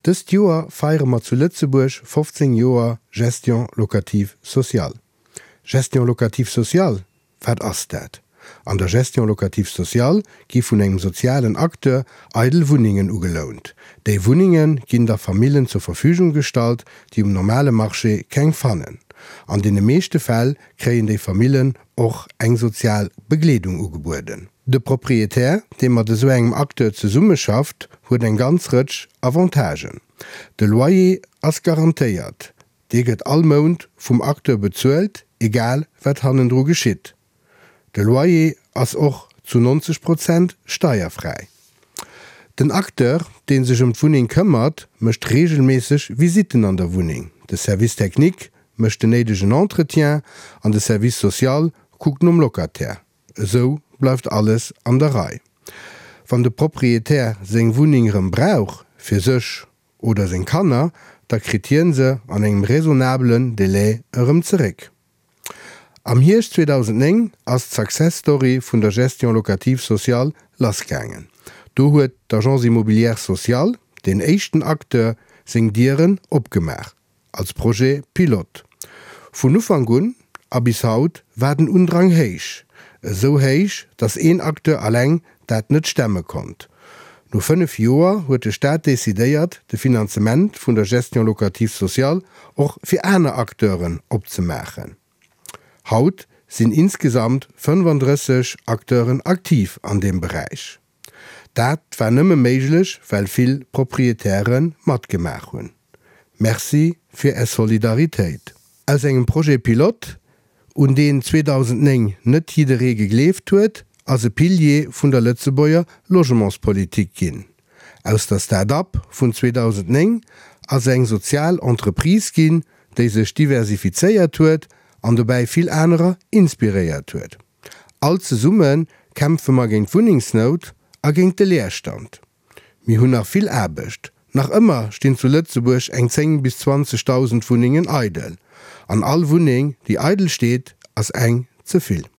Dëst Joer feiere mer zu Lëtzebuerg 15 Joer Gestion locative sociale. Gestion locative sociale, wat ass dat? An der Gestion locative sociale gi vun engem sozialen Acteur eidel Wunnengen ugelount. Déi Wunnenge ginn da Famillen zur Verfügung gestallt, déi um normale Marché keng fannen. An deene meeschte Fäll kréien déi Famillen och eng sozial Begleedung ugebueden. De Proprietär, dee mat esou engem Acteur zesummeschafft, huet eng ganz Rëtsch Avantagen. De Loyer ass garantéiert, dee gëtt all Mount vum Acteur bezuelt, egal wat hannendru geschitt. De Loyer ass och zu 90 Prozent steierfräi. Den Acteur, dee sech ëm d'Wunneng këmmert, mécht reegelméisseg Visitten an der Wunneng. De Service technique mécht den néidegen Entretien an de Service social kuckt nom Locataire. Esou bleift alles an der Rei. Wann de Proprietär seng Wunneng erëm brauch, fir sech oder seng Kanner, da kritt hien se an engem raisonnabelen Delai erëm zeréck. Am Hierscht 2009 ass d'Success Story vun der Gestion locative sociale lassgaangen. Do huet d'Agence immobilière sociale, deen éischten Acteur, seng Dieren opgemaach. Als Projet pilote. Vun Ufank un a bis haut war den Undrang héich. Esou héich, datt een Acteur alleng dat net stemme konnt. No 5 Joer huet de Staat decidéiert, de Finanzement vun der Gestion locative sociale och fir aner Acteuren opzemaachen. Haut sinn insgesamt 35 Acteuren aktiv an deem Beräich. Dat war nëmme méiglech, well vill Proprietäre matgemaach hunn. Merci fir Är Solidaritéit. Aus engem Projet pilote, un deen 2009 net jidderee gegleeft huet, ass e Pilier vun der Lëtzebuerger Logementspolitik ginn. Aus der Start-up vun 2009 ass eng sozial Entreprise ginn, déi sech diversifizéiert huet an dobäi vill anerer inspiréiert huet. All zesumme kämpfe mer géint d'Wunnengsnout a géint de Leerstand. Mir hunn nach vill Aarbecht. Nach ëmmer stinn zu Lëtzebuerg eng 10 bis 20.000 Wunnengen eidel. An all Wunneng, déi eidel steet, ass eng ze vill.